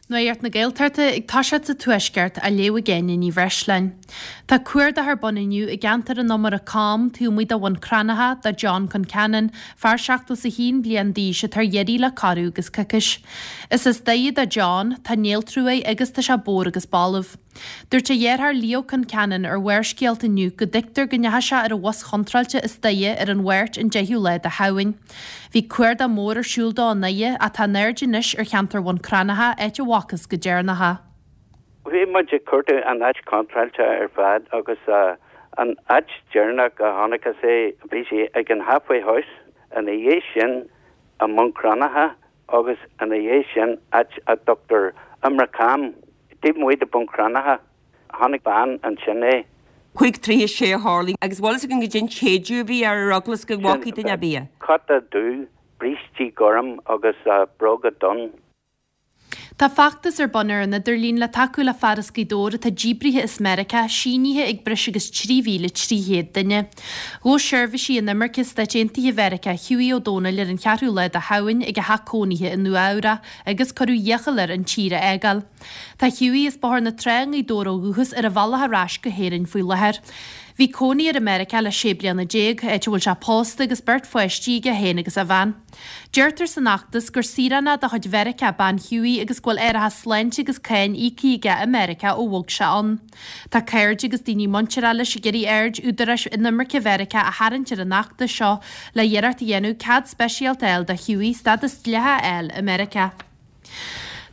Nuacht na Gaeltachta ag toiseacht sa Tuaisceart á léamh ag Áine Ní Bhreisleáin. Tá cuardach ar bun inniu i gceantar an Iomaire Cam, taobh amuigh de Bhun Cranncha, do John Concannon, fear 71 bliain d'aois atá ar iarraidh le corradh agus coicís. Is as Doire do John, tá néaltrú air agus tá sé bodhar agus balbh. Dúirt a dheartháir Leo Concannon ar Bharrscéalta inniu go dtuigtear go ndeachaigh sé ar an bhus chontráilte as Doire ar an Mháirt an 10ú lá de Shamhain. Bhí cuardach mór ar siúl dó i nDoire ach tá an aird anois ar cheantar Bhun Cranncha, áit a bhfacthas go deireanach é. Bhí muid ag cuartú an áit chontráilte ar fad agus an áit deireanach a chonacthas é bhí sé ag an Halfway House, ina dhiaidh sin i mBun Cranncha agus ina dhiaidh sin áit a dtugtar Iomaire Cam, taobh amuigh de Bhun Cranncha. Chonaic bean ansin é. 5:36 a tharlaigh agus bhfuil fhios againn goidé an tséideadh a bhí air ar eagla is go bhfacaidh duine ar bith é. Cóta dubh, brístí gorm agus bróga donn. Tá feachtas ar bun ar an idirlíon le tacú le fear as Gaoth Dobhair atá díbrithe as Meiriceá, sínithe ag breis agus 3,300 duine. Ghabh seirbhísí inimirce Stáit Aontaithe Mheiriceá Hughie Ó Dónaill ar an cheathrú lá de Shamhain ag a theach cónaithe i Nua-Eabhrac agus cuireadh iachall air an tír a fhágáil. Tá Hughie as Bóthar na Trá i nGaoth Dobhair ó dhúchas ar a bhealach ar ais go hÉirinn faoi láthair. Bhí cónaí air i Meiriceá le 16 bliana, áit a bhfuil sé pósta agus beirt pháistí aige féin agus a bhean. Deirtear san fheachtas gur saoránach de chuid Mheiriceá bean Hughie agus go bhfuil árachas sláinte agus cáin íoctha aige i Meiriceá ó bhog sé ann. Tá cairde agus daoine muinteartha leis ag iarraidh aird údaráis inimirce Mheiriceá a tharraingt ar an fheachtas seo le hiarracht a dhéanamh cead speisialta a fháil do Hughie stádas dleathach a fháil i Meiriceá.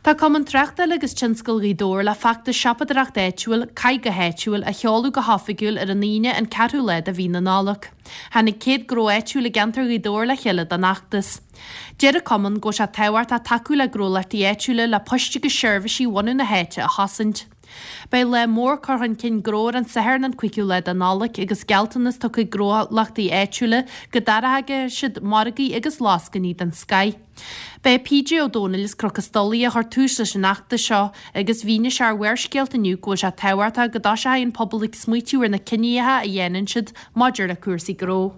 Tá Cumann Tráchtála agus Tionscail Ghaoth Dobhair le feachtas siopadóireacht áitiúil, Caith go hÁitiúil, a sheoladh go hoifigiúil ar an Aoine an ceathrú lá de mhí na Nollag. Tháinig 100 gnó áitiúil i gceantar Ghaoth Dobhair le chéile don fheachtas. Deir an Cumann go bhfuil sé tábhachtach tacú le gnólachtaí áitiúla le poist agus seirbhísí bhunadh na háite a chosaint. Beidh lá mór cur chun cinn gnó ar an Satharn an 5ú lá de Nollaig agus gealltanas tugtha ag gnólachtaí áitiúla go dtairgfidh siad margaí agus lascainí den scoith. B'é PJ Ó Dónaill as Cnoc an Stolaire a chuir tús leis an fheachtas seo agus mhínigh sé ar Bharrscéalta inniu go bhfuil sé tábhachtach go dtoiseoidh an pobal ag smaoitiú ar na cinníocha a dhéanann siad maidir le cúrsaí gnó.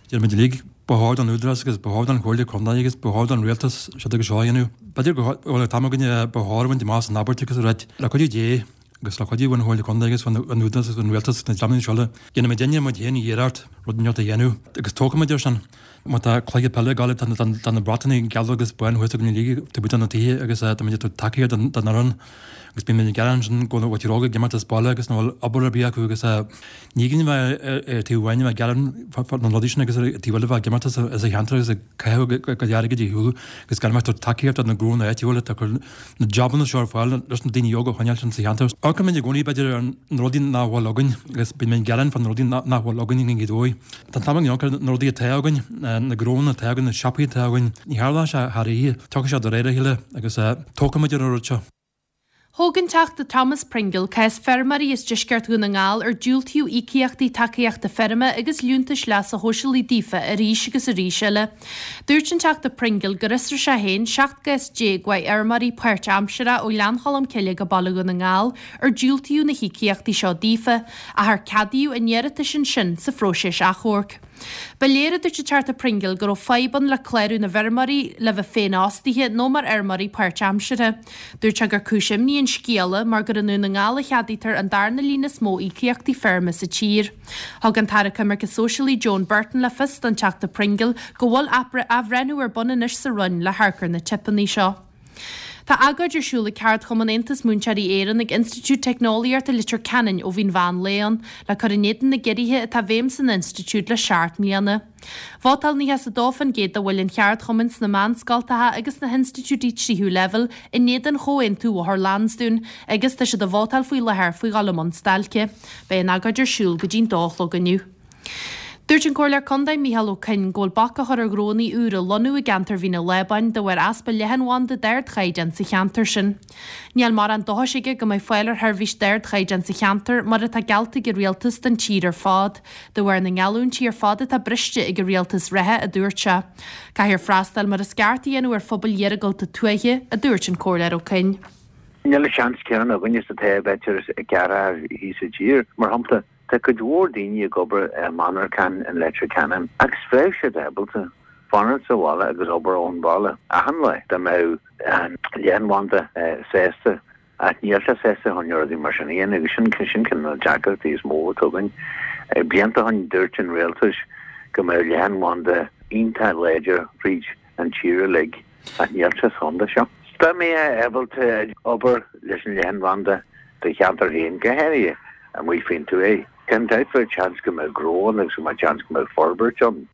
Deir muid uilig, ba chóir don Údarás agus ba chóir don Chomhairle Contae agus ba chóir don Rialtas seo agus seo a dhéanamh. B'fhéidir go bhfuil an t-am againne ba chóir a bhaint amach as an abairt agus a ráit, le cuidiú Dé agus le cuidiú ón Chomhairle Contae agus ón Údarás agus ón Rialtas agus na dreamanna seo eile, déanfaidh muidinne muid féin iarracht rud inteacht a dhéanamh agus tógfaidh muid air sin. Má tá cluiche peile ag gabháil tá na bratanna geala agus bán thuas againn uilig taobh amuigh de na tithe agus tá muid ag tabhairt tacaíocht don fhoireann agus bíonn muid ag gearán ansin go bhfuil muintir óg ag imeacht as baile agus nach bhfuil obair ar bith acu agus Ní gá bheith ar taobh amháin a bheith ag gearán fá na rudaí sin agus ar taobh eile bheith ag imeacht as an cheantar agus ag caitheamh a gcuid airgid ar shiúl agus gan a bheith ag tabhairt tacaíocht do na gnónna áitiúla atá ag cur na jabanna seo ar fáil leis na daoine óga a choinneáil sa cheantar. Amharcann muid i gcónaí b'fhéidir ar na rudaí nach bhfuil againn agus bíonn muid ag gearán fá na rudaí nach bhfuil againn i nGaoth Dobhair. Tá an t-am againn amharc ar na rudaí atá againn, na gnónna atá againn, na siopaí atá againn. Ní tharlóidh sé thar oíche, tiocfaidh sé de réir a chéile agus tógfaidh muid ar an rud seo. Thóg an Teachta Thomas Pringle cás feirmeoirí as deisceart Dhún na nGall ar diúltaíodh íocaíochtaí tacaíochta feirme agus liúntais leasa shóisialaigh daofa arís agus arís eile. Dúirt an Teachta Pringle gur fhiosraigh sé féin 17 gcás uaidh fheirmeoirí páirtaimseartha ó Ghleann Cholm Cille go Baile Dhún na nGall ar diúltaíodh na híocaíochtaí seo daofa, ach ar ceadaíodh a n-iarratais ansin sa phróiseas achomhairc. Ba léir, a dúirt an Teachta Pringle, go raibh fadhb ann le clárú na bhfeirmeoirí le bheith féinfhostaithe nó mar fheirmeoirí páirtaimseartha. Dúirt sé gur cúis imní an scéala mar gur i nDún na nGall a cheadaítear an darna líon is mó íocaíochtaí feirme sa tír. Thug an tAire Coimirce Sóisialaí Joan Burton le fios don Teachta Pringle go bhfuil athbhreithniú ar bun anois sa Roinn le hamharc ar na teipeanna seo. Tá agóid ar siúl ag ceardchumann Aontas Múinteoirí Éireann ag Institiúid Teicneolaíochta Leitir Ceanainn ó bhí an mheán lae ann, le cur in éadan na gciorruithe atá i bhfeidhm san institiúid le seacht mbliana. Vótáil 92% de bhaill an cheardchumainn sna meánscoltacha agus sna hinstitiúidí tríú leibhéal in éadan Chomhaontú Bhóthar Lansdún agus tá siad ag vótáil faoi láthair faoi dhul i mbun stailce. Beidh an agóid ar siúl go dtí'n dó a chlog inniu. Dúirt an Comhairleoir Contae Micheál Ó Coinn go bhfuil bac á chur ar ghnónna úra lonnú i gceantar Mhín an Lábáin de bharr easpa leathanbhanda d'ardchaighdeán sa cheantar sin. Níl mórán dóchais aige go mbeidh fáil ar sheirbhís d'ardchaighdeán sa cheantar mar atá geallta ag an Rialtas don tír ar fad, de bharr na ngeallúintí ar fad atá briste ag an Rialtas reatha, a dúirt sé. Caithfear freastal mar is ceart a dhéanamh ar phobail iargúlta tuaithe, a dúirt an Comhairleoir Ó Coinn. Níl an seans céanna againne is atá b'fhéidir i gceantair thíos i dtír, mar shampla. Tá cuid mhór daoine ag obair i monarchan in Leitir Ceanainn agus bheadh siad ábalta. fanacht sa bhaile agus obair ón bhaile achan lá dá mbeadh an leathanbhanda sásta ach níl sé sásta chun rudaí mar sin a dhéanamh agus sin sin ceann de na deacrachtaí is mó atá againn. Blianta ó shin dúirt an rialtas go mbeadh leathanbhanda iontach láidir fríd an tír uilig ach níl sé sa chontae seo. Dá mbeifeá ábalta obair leis an leathanbhanda do cheantar féin, go háirithe amuigh faoin tuath, gan dabht bheadh seans go mbeadh gnó ann agus go mbeadh seans go mbeadh forbairt ann.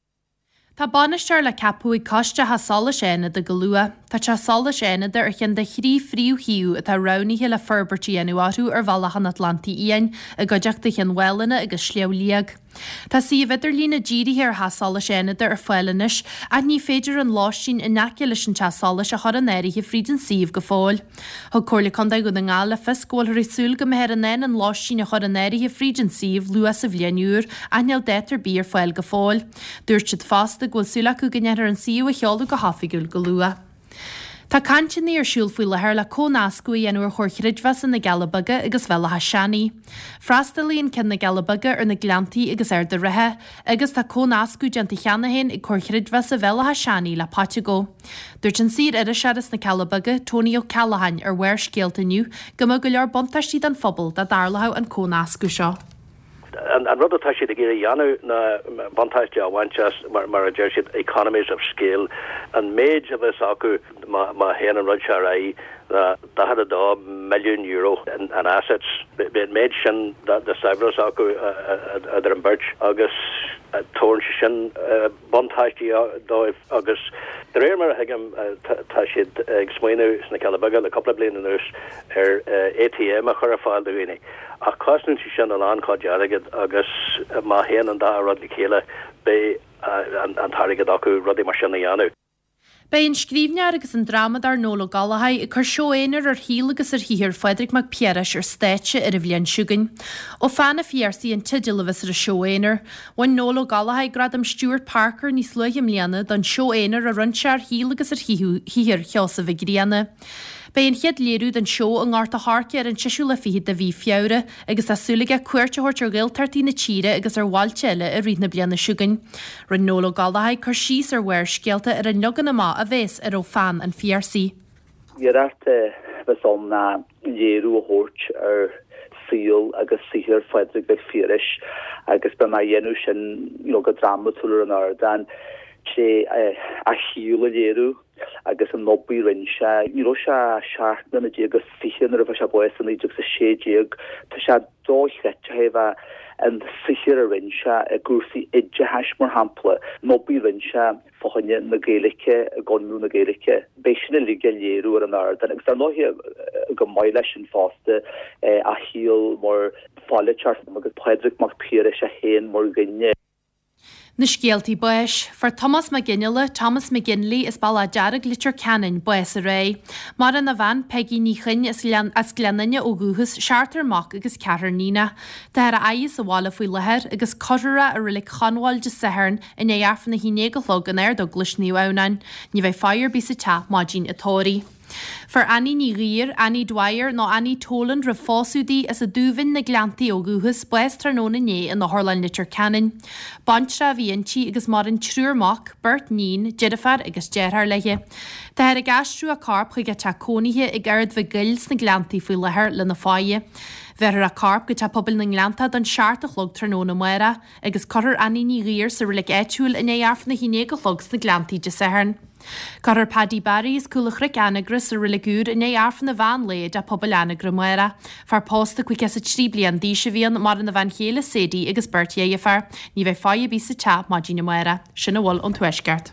Tá bainisteoir le ceapadh ag Coiste Theach Solais Fhánada go luath. Tá Teach Solais Fhánada ar cheann de thrí phríomhshuíomh atá roghnaithe le forbairt a dhéanamh orthu ar Bhealach an Atlantaigh Fhiáin, i gcuideachta Chionn Mhálanna agus Sliabh Liag. Tá suíomh idirlíne dírithe ar Theach Solais Fhánada ar fáil anois ach ní féidir an lóistín in aice leis an teach solais a chur in áirithe fríd an suíomh go fóill. Thug Comhairle Contae Dhún na nGall le fios go bhfuilthear ag súil go mbeifear in ann an lóistín a chur in áirithe fríd an suíomh luath sa bhliain úr ach níl dáta ar bith ar fáil go fóill. Dúirt siad fosta go bhfuil súil acu go ndéanfar an suíomh a sheoladh go hoifigiúil go luath. Tá cainteanna ar siúl faoi láthair le comhnascadh a dhéanamh ar Chomhair Chreidmheasa na gCealla Beaga agus Bhéal Átha Seanaidh. Freastalaíonn ceann na gCealla Beaga ar na Gleanntaí agus Ard an Rátha agus tá comhnascadh déanta cheana féin ag Comhar Chreidmheasa Bhéal Átha Seanaidh le Paiteagó. Dúirt an saor-iriseoir as na Cealla Beaga, Tony Ó Ceallacháin, ar Bharrscéalta inniu go mbeadh go leor buntáistí don phobal dá dtarlódh an comhnascadh seo. An rud atá siad ag iarraidh a dhéanamh ná buntáiste a bhaint as, mar a deir siad, economies of scale. An méid a bheas acu má théann an rud seo ar aghaidh ná €42 milliún in assets. Beidh an méid sin de saibhreas acu idir an bheirt agus tabharann sé sin buntáistí dóibh agus de réir mar a thuigim tá siad ag smaoineamh sna Cealla Beaga le cúpla bliain anuas ar ATM a chur ar fáil do dhaoine ach cosnaíonn sé sin a lán cuid airgid agus má théann an dá rud le chéile beidh an t-airgead acu rudaí mar sin a dhéanamh. Beidh an scríbhneoir agus an drámadóir Noel Ó Gallchóir ag cur seó aonair ar shaol agus ar shaothar Phádraig Mac Piarais ar stáitse ar an bhliain seo chugainn. Ó Pheann an Phiarsaigh an teideal a bheas ar an seó aonair. Bhain Noel Ó Gallchóir Gradam Stewart Parker níos luaithe i mbliana don seó aonair a rinne sé ar shaol agus ar shaothar Sheosaimh Mhic Grianna. Beidh an chéad léiriú den seó i nGort a' Choirce ar an seisiú lá fichead de mhí Feabhra agus tá súil aige cuairt a thabhairt ar Ghaeltachtaí na tíre agus ar bhailte eile i rith na bliana seo chugainn. Rinne Noel Ó Gallchóir cur síos ar Bharrscéalta ar an leagan amach a bheas ar Ó Pheann an Phiarsaigh. Iarracht a bheas ann ná léiriú a thabhairt ar saol agus saothar Phádraig Mhic Phiarais agus beidh mé á dhéanamh sin you know go drámatúil ar an ardán tré a shaol a léiriú. agus an obair a rinne sé. Ní raibh sé ach 17 mbliana is 20 nuair a fuair sé bás i 1916. Tá sé dochreidte ó thaobh an saothar a rinne sé i gcúrsaí oideachais, mar shampla, an obair a rinne sé fá choinne na Gaeilge i gConradh na Gaeilge. Beidh sin uilig á léiriú ar an ardán agus dar ndóighe chomh maith leis sin fosta a shaol mar pholaiteoir agus Pádraig Mac Piarais é féin mar dhuine. Na scéaltaí báis. Fuair Tomás Mac Fhionnghaile, Thomas McGinley, as Bealach Dearg, Leitir Ceanainn, bás aréir. Maireann a bhean, Peigí Ní Chuinn, as Gleann Fhinne ó dhúchas, seachtar mac agus ceathrar níonach. Táthar á fhaire sa bhaile faoi láthair agus cuirfear é i Reilig Chonbháil Dé Sathairn i ndiaidh Aifreann a 11 a chlog in Ard-Eaglais Naomh Adhamhnáin. Ní bheidh faire ar bith sa teach maidin an tórraimh. Fuair Annie Ní Ghaoir, Annie Dwyer nó Annie Toland roimh phósadh di, as an Dúbhinn, Na Gleanntaí ó dhúchas, bás tráthnóna inné in Otharlann Leitir Ceanainn. Baintreach a bhí inti agus maireann triúr mac, beirt níon, deirfiúr agus deartháir léi. Táthar ag aistriú a corp chuig a teach cónaithe ag Ard Mhic Goill sna Gleanntaí faoi láthair lena faire. Bhéarfar a corp go Teach Pobail na nGleanntach don seacht a chlog tráthnóna amárach agus cuirfear Annie Ní Ghaoir sa reilig áitiúil i ndiaidh Aifreann a 11 a chlog sna Gleanntaí Dé Sathairn. Cuirfear Paddy Barry as Cúl an Chnoic, Anagaire, sa reilig úr i ndiaidh Aifreann an mheán lae i dTeach Pobail Anagaire amárach. Fear pósta 53 bliain d'aois a bhí ann, maireann a bhean chéile Sadie agus beirt dheirféar. Ní bheidh faire ar bith sa teach maidin amárach. Sin a bhfuil ón Tuaisceart.